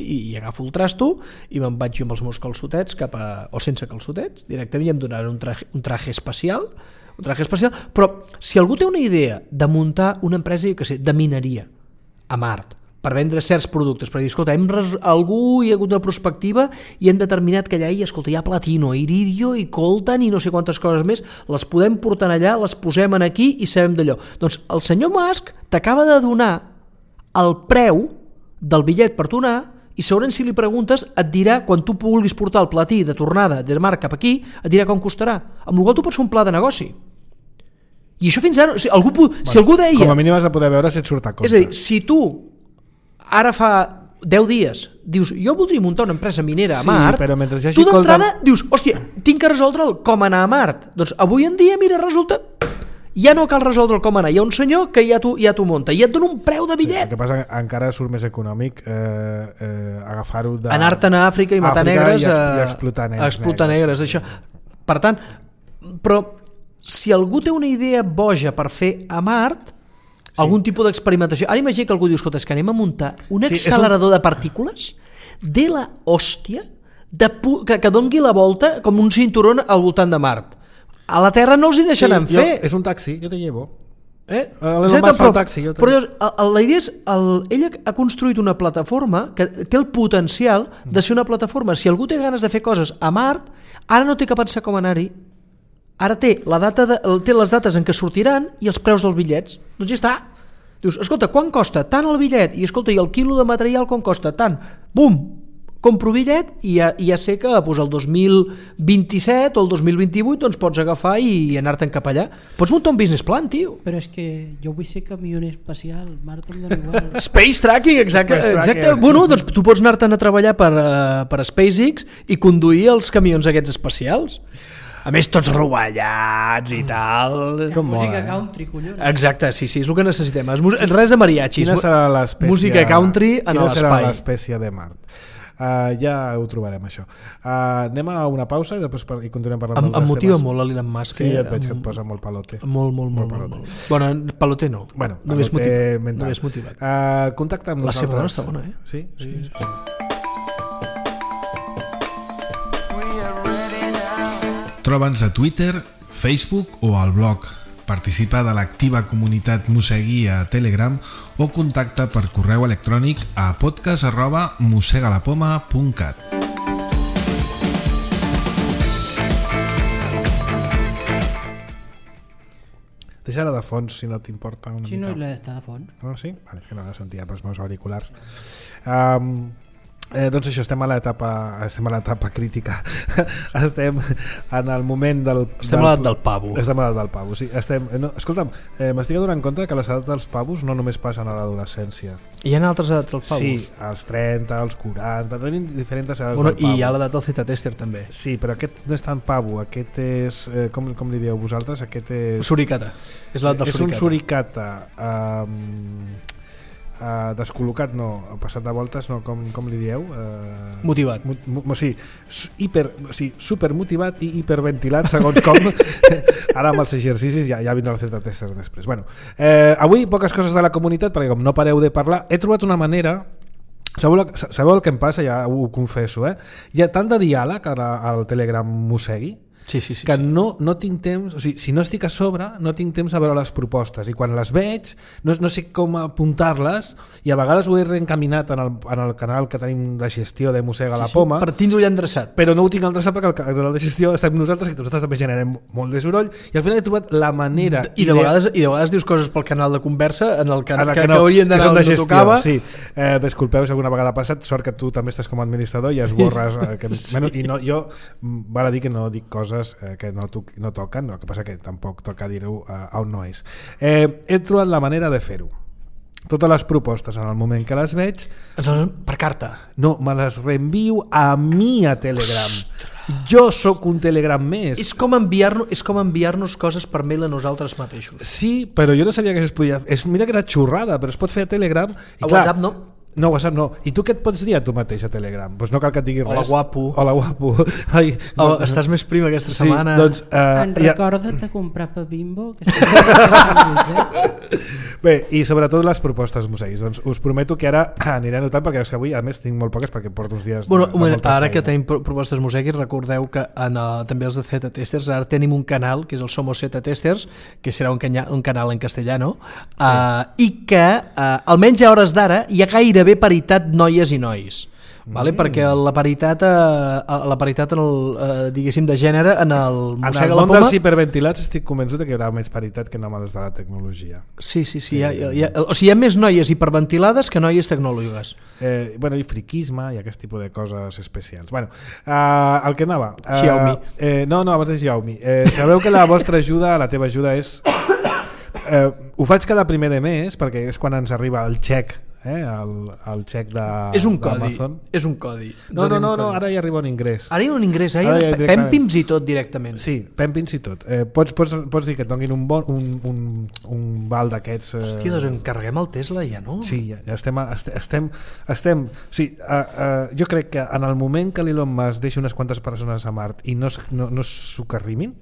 i agafo el trasto i me'n vaig jo amb els meus calçotets o sense calçotets, directament, i em donaran un traje espacial, però si algú té una idea de muntar una empresa, que sé, de mineria a Mart, per vendre certs productes, per dir, escolta, algú hi ha hagut una prospectiva i hem determinat que allà hi ha platino, iridio i coltan i no sé quantes coses més, les podem portar allà, les posem aquí i sabem d'allò. Doncs el senyor Musk t'acaba de donar el preu del bitllet per tornar i segurament si li preguntes et dirà, quan tu vulguis portar el platí de tornada de Mart cap aquí, et dirà com costarà, amb el qual tu pots fer un pla de negoci. I això fins ara, si algú deia... Com a mínim has de poder veure si et surt a compte. És a dir, si tu ara fa 10 dies dius, jo voldria muntar una empresa minera a Mart, tu d'entrada dius, hòstia, tinc que resoldre com anar a Mart. Doncs avui en dia, mira, resulta ja no cal resoldre com anar, hi ha un senyor que ja t'ho munta i et dona un preu de bitllet. El que passa encara surt més econòmic agafar-ho de... Anar-te'n a Àfrica i matar negres i explotar negres. Això. Per tant, però si algú té una idea boja per fer a Mart, algun tipus d'experimentació. Ara imagina que algú diu, escolta, és que anem a muntar un accelerador de partícules de la hòstia que doni la volta com un cinturó al voltant de Mart. A la Terra no els hi deixaran fer. És un taxi, jo te llevo. Exacte, però la idea és ella ha construït una plataforma que té el potencial de ser una plataforma. Si algú té ganes de fer coses a Mart, ara no té que pensar com anar-hi, ara té les dates en què sortiran i els preus dels bitllets. Doncs ja està. Dius, escolta, quan costa tant el bitllet? I escolta, i el quilo de material quan costa tant? Bum! Compro bitllet i ja sé que el 2027 o el 2028 doncs pots agafar i anar-te'n cap allà. Pots muntar un business plan, tio. Però és que jo vull ser camioner espacial, Mart em dona igual. Space tracking, exacte. Bueno, doncs tu pots anar-te'n a treballar per SpaceX i conduir els camions aquests espacials. A més, tots rovellats i tal. Música country, collons. Exacte, sí, és el que necessitem. Res de mariachis. Quina serà l'espècie? Música country en l'espai. Quina serà l'espècie de Mart? Ja ho trobarem, això. Anem a una pausa i després continuem parlant dels temes. Em motiva molt l'Elon Musk. Sí, et veig que et posa molt palote. Molt. Bueno, palote no. Bueno, només mental. Motivat. Contacta amb la nosaltres. seva dona està bona, eh? Sí. Troba'ns a Twitter, Facebook o al blog. Participa de l'activa comunitat Mossegui a Telegram o contacta per correu electrònic a podcast@mossegalapoma.cat. Deixa-la de fons, si no t'importa una mica. Si no l'he d'estar de fons. Ah, sí? Vale, que no la sentia pels meus auriculars. Doncs això, estem a l'etapa crítica. Estem en el moment estem a l'edat del pavo. Estem a l'edat del pavo, sí. Escolta'm, m'estic adonant compte que les edats dels pavos no només passen a l'adolescència. Hi ha altres edats dels pavos? Sí, als 30, als 40, tenim diferents edats del pavo. I hi ha l'edat del Z-tester també. Sí, però aquest no és tan pavo, aquest és, com li dieu vosaltres? Aquest és... Suricata. És l'edat del suricata. És un suricata... descol·locat no, passat de voltes no, com li dieu? Motivat. Super motivat i hiperventilat segons com. Ara amb els exercicis ja vindrà el Z-tester després. Bueno, avui poques coses de la comunitat perquè com no pareu de parlar, he trobat una manera. Sabeu el que em passa? Ja ho confesso, hi ha tant de diàleg al Telegram Mossegui que no tinc temps, o sigui, si no estic a sobre no tinc temps a veure les propostes i quan les veig no sé com apuntar-les i a vegades ho he reencaminat en el canal que tenim de gestió de Mossega la Poma per tindre-ho ja endreçat, però no ho tinc endreçat perquè el canal de gestió estem nosaltres i nosaltres també generem molt de soroll i al final he trobat la manera i de vegades dius coses pel canal de conversa en el canal que haurien d'anar on no tocava. Sí, disculpeu si alguna vegada ha passat, sort que tu també estàs com a administrador i esborres i no, jo val a dir que no dic coses que no toquen, el que passa que tampoc toca dir-ho on no és. He trobat la manera de fer-ho. Totes les propostes en el moment que les veig per carta? No, me les reenvio a mi a Telegram. Ostres. Jo sóc un Telegram més. És com enviar-nos coses per mail a nosaltres mateixos. Sí, però jo no sabia que això es podia... Mira que era xurrada, però es pot fer a Telegram. A WhatsApp no? No, WhatsApp no. I tu què et pots dir a tu mateix a Telegram? Doncs no cal que et digui res. Hola, guapo. Hola, guapo. Ai, estàs més prim aquesta setmana. Sí, doncs, recorda't de comprar pa Bimbo. Bé, i sobretot les propostes Mosseguis. Doncs us prometo que ara aniré anotant perquè és que avui a més tinc molt poques perquè porto uns dies de molta ara feina. Que tenim propostes Mosseguis, recordeu que també els de Z-testers ara tenim un canal que és el Somos Z-testers, que serà un canal en castellano, i que almenys a hores d'ara hi ha gairebé paritat noies i nois, vale? Perquè la paritat en el, diguéssim, de gènere en el Mossega la Poma... En el món dels hiperventilats estic convençut que hi haurà més paritat que no males de la tecnologia. Sí. O sigui, hi ha més noies hiperventilades que noies tecnòlogues. I friquisme i aquest tipus de coses especials. Bueno, el que anava... Xiaomi. No, abans de Xiaomi. Sabeu que la vostra ajuda, la teva ajuda és... ho faig cada primer de mes perquè és quan ens arriba el xec, el xec d'Amazon. És un codi. No, ara hi arriba un ingrés. Ara hi ha un ingrés, pèmpims i tot directament. Sí, pèmpims i tot. Pots dir que et donin un val d'aquests... Hòstia, doncs encarreguem el Tesla ja, no? Sí, ja estem sí, jo crec que en el moment que l'Elon Musk deixi unes quantes persones a Mart i no s'ho carrimin,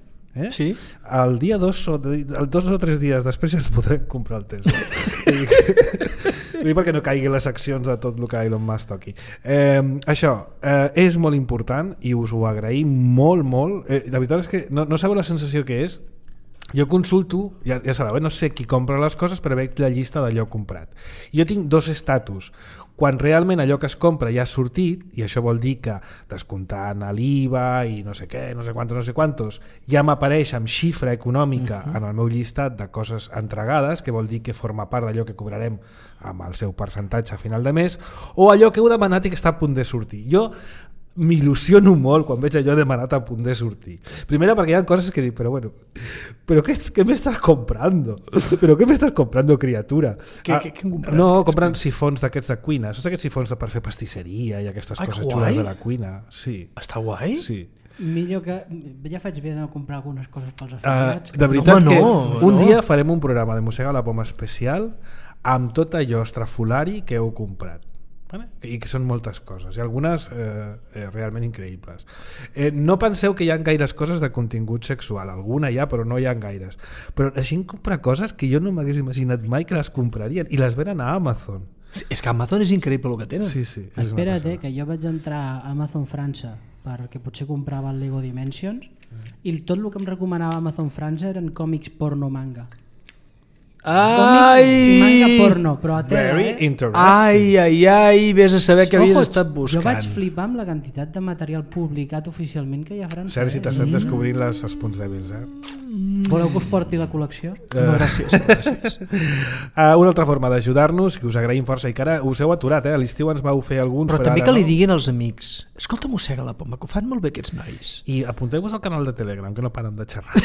Sí. El dia 2 o 3 dies després ja es podrem comprar el Tesla. Vull dir perquè no caigui les accions de tot el que Elon Musk toqui. Això és molt important i us ho agraïm molt. La veritat és que no sabeu la sensació que és. Jo consulto, ja sabeu, no sé qui compra les coses, però veig la llista d'allò comprat. Jo tinc 2 estatus. Quan realment allò que es compra ja ha sortit, i això vol dir que descomptant l'IVA i no sé què, no sé quantos, ja m'apareix amb xifra econòmica en el meu llistat de coses entregades, que vol dir que forma part d'allò que cobrarem amb el seu percentatge a final de mes, o allò que heu demanat i que està a punt de sortir. Jo m'il·lusiono molt quan veig allò demanat a punt de sortir. Primera perquè hi ha coses que dic, però ¿qué me estás comprando? ¿Pero qué me estás comprando, criatura? Què comprat? No, compren sifons d'aquests de cuina. Saps aquests sifons per fer pastisseria i aquestes coses xules de la cuina? Sí. Està guai? Sí. Millor que... Ja faig bé de comprar algunes coses pels afiliats. De veritat que un dia farem un programa de Mossega la Poma especial amb tot allò estrafolari que heu comprat. I que són moltes coses i algunes realment increïbles. No penseu que hi ha gaires coses de contingut sexual, alguna hi ha però no hi ha gaires, però la gent compra coses que jo no m'hagués imaginat mai que les comprarien i les venen a Amazon. És que Amazon és increïble el que tenen. Sí, espera't, que jo vaig entrar a Amazon França perquè potser comprava el Lego Dimensions i tot el que em recomanava Amazon França eren còmics porno manga. Còmics i manga porno, però a tela, Very interesting. Ai, vés a saber què havies estat buscant. Jo vaig flipar amb la quantitat de material publicat oficialment que hi ha a França. Sergi, t'estem descobrint els punts dèbils, Voleu que us porti la col·lecció? No, gràcies. Una altra forma d'ajudar-nos, que us agraïm força i que ara us heu aturat, a l'estiu ens vau fer alguns, però també que li diguin als amics, escolta, Mossega la Poma, que ho fan molt bé aquests nois. I apunteu-vos al canal de Telegram, que no paren de xerrar.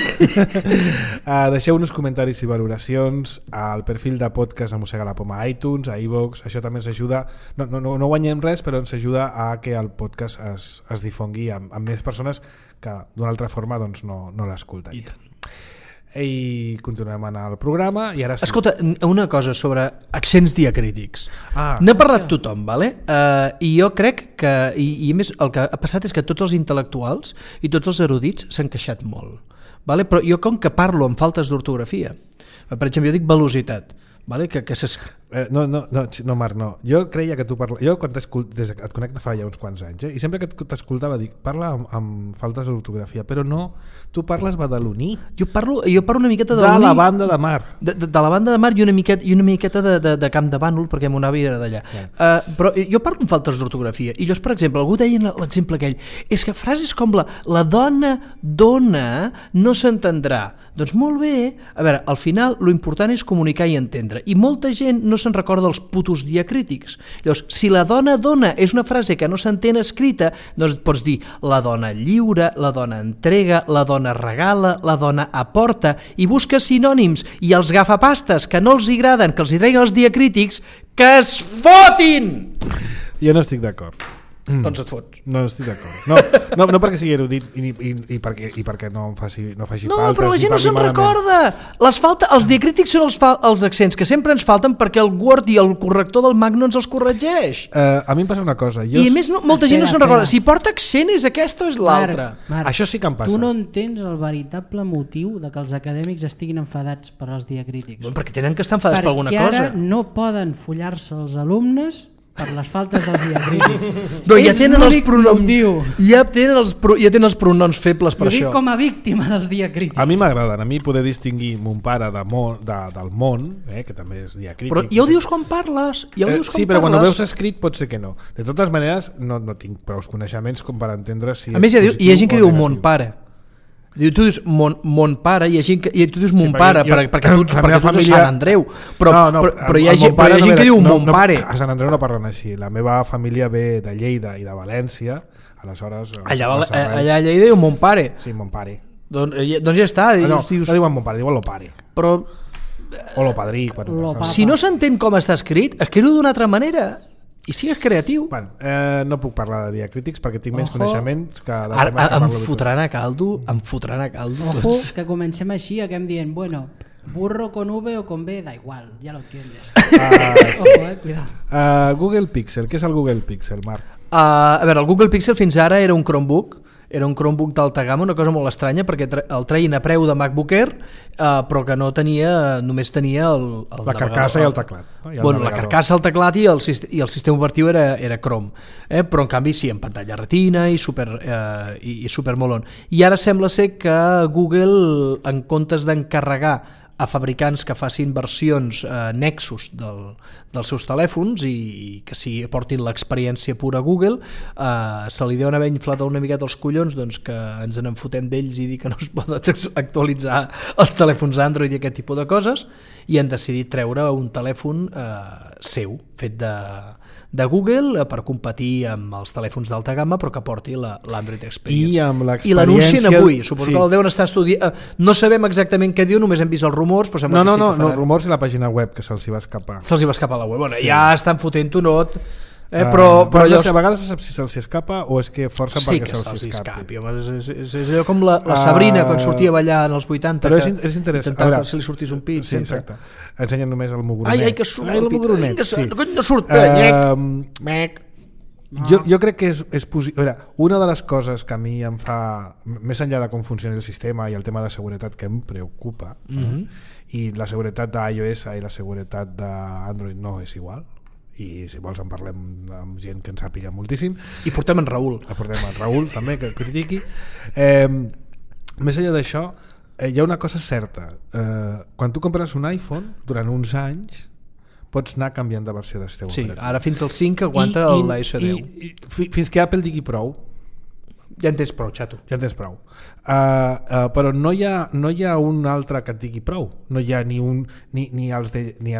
Deixeu uns comentaris i valoracions al perfil de podcast de Mossega la Poma a iTunes, a iVoox. Això també ens ajuda, no guanyem res, però ens ajuda a que el podcast es difongui amb més persones que d'una altra forma doncs, no l'escoltarien. I continuem en el programa i ara sí. Escolta, una cosa sobre accents diacrítics. N'ha parlat tothom, vale? I jo crec que i a més el que ha passat és que tots els intel·lectuals i tots els erudits s'han queixat molt, vale? Però jo com que parlo amb faltes d'ortografia, per exemple jo dic velocitat, vale? Que no, Marc, no. Jo creia que tu parles... Jo quan et conec fa ja uns quants anys, i sempre que t'escoltava dic, parla amb faltes d'ortografia, però no, tu parles badaloní. Jo parlo una miqueta de la banda de mar. De la banda de mar i una miqueta de Camp de Bànol, perquè mon avi era d'allà. Però jo parlo amb faltes d'ortografia, i llavors, per exemple, algú deia l'exemple aquell, és que frases com la dona dona no s'entendrà. Doncs molt bé, a veure, al final lo important és comunicar i entendre, i molta gent no se'n recorda dels putos diacrítics. Llavors, si la dona dona és una frase que no s'entén escrita, doncs pots dir la dona lliure, la dona entrega, la dona regala, la dona aporta, i busca sinònims, i els gafapastes que no els agraden, que els treguen els diacrítics, que es fotin! Jo no estic d'acord. Doncs et fots. No estic d'acord. No perquè sigui erudit i perquè no faci faltes. No, però la gent no se'n recorda. Els diacrítics són els accents que sempre ens falten perquè el Word i el corrector del Mac no ens els corregeix. A mi em passa una cosa. I a més molta gent no se'n recorda. Si porta accent és aquesta o és l'altra. Això sí que em passa. Tu no entens el veritable motiu de que els acadèmics estiguin enfadats per als diacrítics. Perquè tenen que estar enfadats per alguna cosa. Perquè ara no poden follar-se els alumnes per les faltes dels diacrítics. Ja tenen els pronoms. Ja tenen els pronoms febles per això. Jo dic com a víctima dels diacrítics. A mi m'agraden, a mi poder distingir mon pare del món, que també és diacrític. Però ja ho dius quan parles. Sí, però quan ho veus escrit pot ser que no. De totes maneres, no tinc prou coneixements com per entendre si és positiu o negatiu. A més, hi ha gent que diu mon pare. Tu dius mon pare i tu dius mon pare perquè tu ets de Sant Andreu, però hi ha gent que diu mon pare. A Sant Andreu no parlen així. La meva família ve de Lleida i de València, aleshores allà a Lleida diu mon pare. Sí, mon pare. Doncs ja està. No diuen mon pare, diuen lo pare. O lo padrí. Si no s'entén com està escrit, escriu d'una altra manera i sigues creatiu. No puc parlar de diacrítics perquè tinc menys coneixements que... Ara em fotran a caldo. Ojo, que comencem així, acabem dient, bueno, burro con V o con B, da igual, ya lo entiendes. Ojo, cuidado. Google Pixel, què és el Google Pixel, Marc? A veure, el Google Pixel fins ara era un Chromebook, Era un Chromebook d'alta gamma, una cosa molt estranya, perquè el treien a preu de MacBook Air, però que no tenia, només tenia la carcassa i el teclat. Bueno, la carcassa, el teclat i el sistema operatiu era Chrome, però en canvi sí, en pantalla retina i super molon. I ara sembla ser que Google, en comptes d'encarregar a fabricants que facin versions Nexus dels seus telèfons i que portin l'experiència pura Google, se li deuen haver inflat una miqueta els collons, doncs que ens en fotem d'ells i dir que no es poden actualitzar els telèfons Android i aquest tipus de coses, i han decidit treure un telèfon seu, fet de Google, per competir amb els telèfons d'alta gamma, però que porti l'Android Experience. I l'anuncien avui, suposo que el deuen estar estudiant. No sabem exactament què diu, només hem vist els rumors, però sembla que sí que faran. No, rumors i la pàgina web, que se'ls hi va escapar. Se'ls hi va escapar la web. Bueno, ja estan fotent un not, però no sé, a vegades no saps si se'ls escapa o és que força perquè se'ls escapi. És allò com la Sabrina quan sortia a ballar en els 80, però és interessant. Intentava que se li sortís un pit. Sí, exacte. Ensenyen només el mugronet. Ai, que surt el mugronet. No surt, nyec. Jo crec que és possible. Una de les coses que a mi em fa, més enllà de com funciona el sistema i el tema de seguretat que em preocupa, i la seguretat d'iOS i la seguretat d'Android no és igual, i si vols en parlem amb gent que en sàpiga moltíssim, i portem en Raül també, que critiqui. Més enllà d'això, hi ha una cosa certa, quan tu compres un iPhone durant uns anys pots anar canviant de versió del teu operatiu. Ara fins al 5 aguanta l'iOS 10 fins que Apple digui prou. Ja en tens prou, xato. Però no hi ha un altre que et digui prou. No hi ha ni els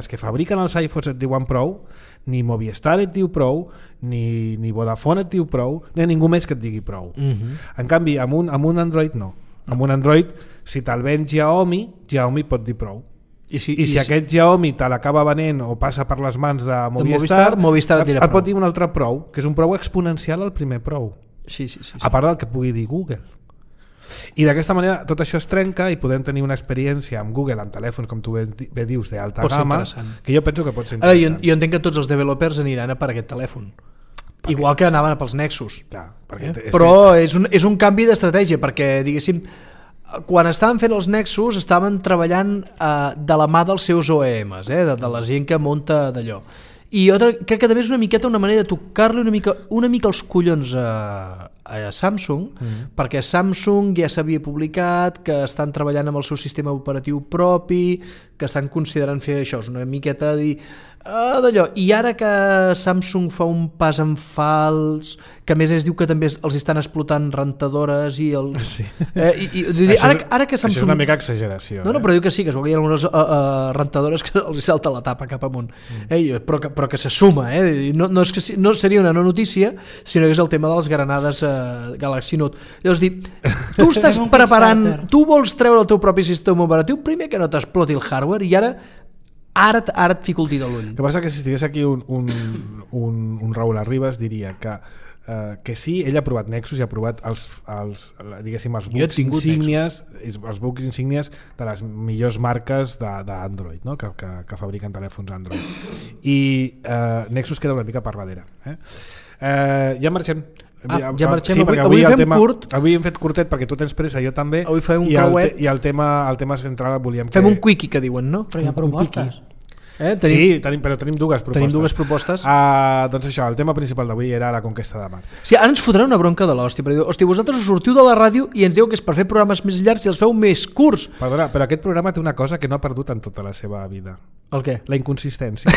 que fabriquen els iPhones et diuen prou, ni Movistar et diu prou, ni Vodafone et diu prou, ni ningú més que et digui prou. En canvi, amb un Android no. Amb un Android, si te'l ven Xiaomi pot dir prou. I si aquest Xiaomi te l'acaba venent o passa per les mans de Movistar et pot dir un altre prou, que és un prou exponencial al primer prou. Sí. A part del que pugui dir Google. I d'aquesta manera tot això es trenca i podem tenir una experiència amb Google amb telèfons, com tu bé dius, d'alta gamma, que jo penso que pot ser interessant. Jo entenc que tots els developers aniran a per aquest telèfon. Igual que anaven pels Nexus. Clar, però és un canvi d'estratègia, perquè diguéssim, quan estaven fent els Nexus estaven treballant de la mà dels seus OEMs, de la gent que munta d'allò. I jo crec que també és una miqueta una manera de tocar-li una mica els collons a Samsung, perquè Samsung ja s'havia publicat que estan treballant amb el seu sistema operatiu propi, que estan considerant fer això, és una miqueta de dir d'allò, i ara que Samsung fa un pas en fals, que a més es diu que també els estan explotant rentadores i ara que Samsung... Això és una mica exageració. No, però diu que sí, que es veuen algunes rentadores que els salta la tapa cap amunt, però que se suma, no seria una no notícia, sinó que és el tema de les granades Galaxy Note. Llavors dir, tu estàs preparant, tu vols treure el teu propi sistema operatiu, primer que no t'exploti el hardware, i ara et fico el dit a l'ull. El que passa que si estigués aquí un Raül Arribas diria que sí, ell ha provat Nexus i ha provat els bucs insígnies, els bucs insígnies de les millors marques d'Android, no? que fabriquen telèfons Android, i Nexus queda una mica per darrere. Ja marxem. Ja marxem, sí, avui fem curt. Avui hem fet curtet perquè tu tens pressa, jo també. Avui fem un cauet. I el tema central volíem fem un quickie, que diuen, no? Però hi ha propostes. Sí, però tenim dues propostes. Tenim dues propostes. Doncs això, el tema principal d'avui era la conquesta de Mart. Sí, ara ens fotran una bronca de l'hòstia, però hòstia, vosaltres us sortiu de la ràdio i ens dieu que és per fer programes més llargs i els feu més curts. Perdona, però aquest programa té una cosa que no ha perdut en tota la seva vida. El què? La inconsistència.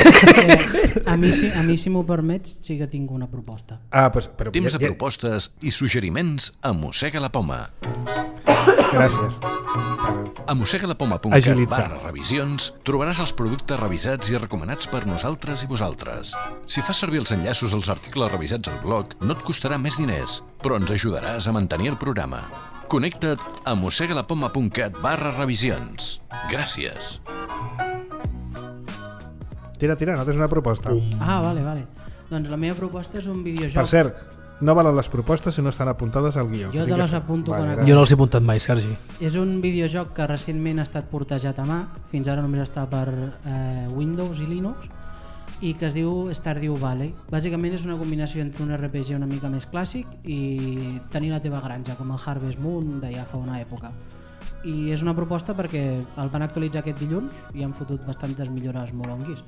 A mi, si m'ho permets, sí que tinc una proposta. Però temps de propostes i suggeriments a Mossega la Poma. Gràcies. A mossegalapoma.cat/revisions trobaràs els productes revisats i recomanats per nosaltres i vosaltres. Si fas servir els enllaços als articles revisats al blog, no et costarà més diners, però ens ajudaràs a mantenir el programa. Connecta't a mossegalapoma.cat/revisions. Gràcies. Tira, no tens una proposta. Vale. Doncs la meva proposta és un videojoc. Per cert, no valen les propostes si no estan apuntades al guió. Jo te les apunto. Jo no els he apuntat mai, Sergi. És un videojoc que recentment ha estat portejat a Mac, fins ara només està per Windows i Linux, i que es diu Stardew Valley. Bàsicament és una combinació entre un RPG una mica més clàssic i tenir la teva granja, com el Harvest Moon de ja fa una època. I és una proposta perquè el van actualitzar aquest dilluns i han fotut bastantes millores molonguis.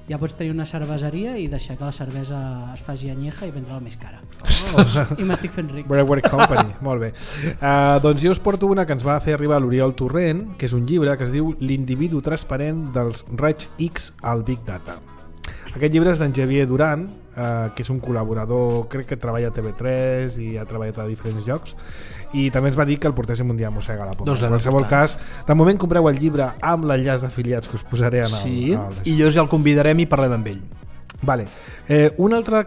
Ja pots tenir una cerveseria i deixar que la cervesa es faci anyeja i vendre-la més cara. I m'estic fent ric. Brewery Company, molt bé. Doncs jo us porto una que ens va fer arribar l'Oriol Torrent, que és un llibre que es diu L'individu transparent dels raigs X al Big Data. Aquest llibre és d'en Xavier Duran, que és un col·laborador, crec que treballa a TV3 i ha treballat a diferents llocs, i també ens va dir que el portéssim un dia a Mossega la Poma. En qualsevol cas, de moment compreu el llibre amb l'enllaç d'afiliats que us posaré en el... Sí, i jo ja el convidarem i parlem amb ell. Vale. Una altra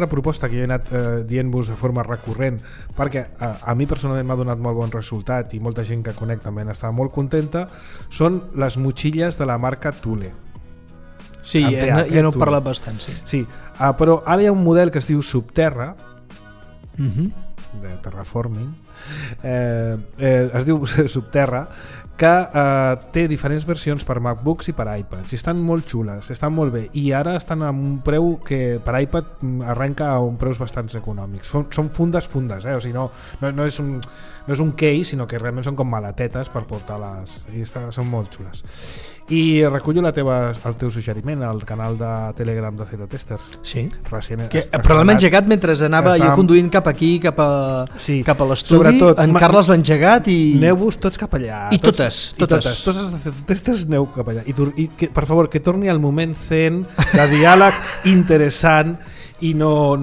proposta que jo he anat dient-vos de forma recurrent, perquè a mi personalment m'ha donat molt bon resultat i molta gent que conec també n'estava molt contenta, són les motxilles de la marca Thule. Sí, ja n'ho he parlat bastant, sí. Sí, però ara hi ha un model que es diu Subterra, de terraforming, es diu Subterra, que té diferents versions per MacBooks i per iPads, i estan molt xules, estan molt bé, i ara estan a un preu que per iPad arrenca a un preus bastant econòmics. Són fundes, o sigui, no és un case, sinó que realment són com malatetes per portar-les, i són molt xules. I recullo el teu suggeriment al canal de Telegram de Z-Testers. Sí. Però l'hem engegat mentre anava jo conduint cap aquí, cap a l'estudi. En Carles l'ha engegat i... Aneu-vos tots cap allà. I totes. Tots els de Z-Testers aneu cap allà. I per favor, que torni el moment zen de diàleg interessant i no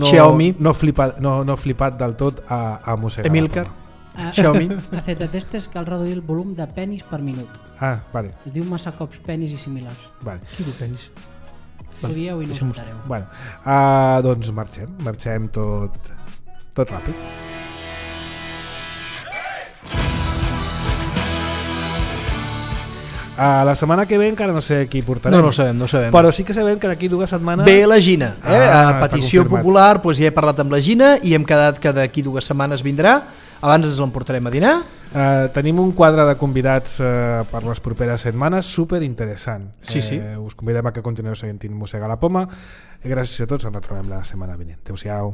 flipat del tot a mossegar. Emilcar. Xiaomi. A Z-Testers cal reduir el volum de penis per minut. Vale. Es diu massa cops penis i similars. Vale. Qui diu penis? Ho dieu i no ho notareu. Bueno, doncs marxem tot ràpid. La setmana que ve encara no sé qui portarem. No sabem. Però sí que sabem que d'aquí 2 setmanes... Ve la Gina. A petició popular ja he parlat amb la Gina i hem quedat que d'aquí 2 setmanes vindrà. Abans ens l'emportarem a dinar. Tenim un quadre de convidats per les properes setmanes super interessant. Sí. Us convidem a que continueu seguint Mossega la Poma. Gràcies a tots, ens retrobem la setmana vinent. Adéu-siau.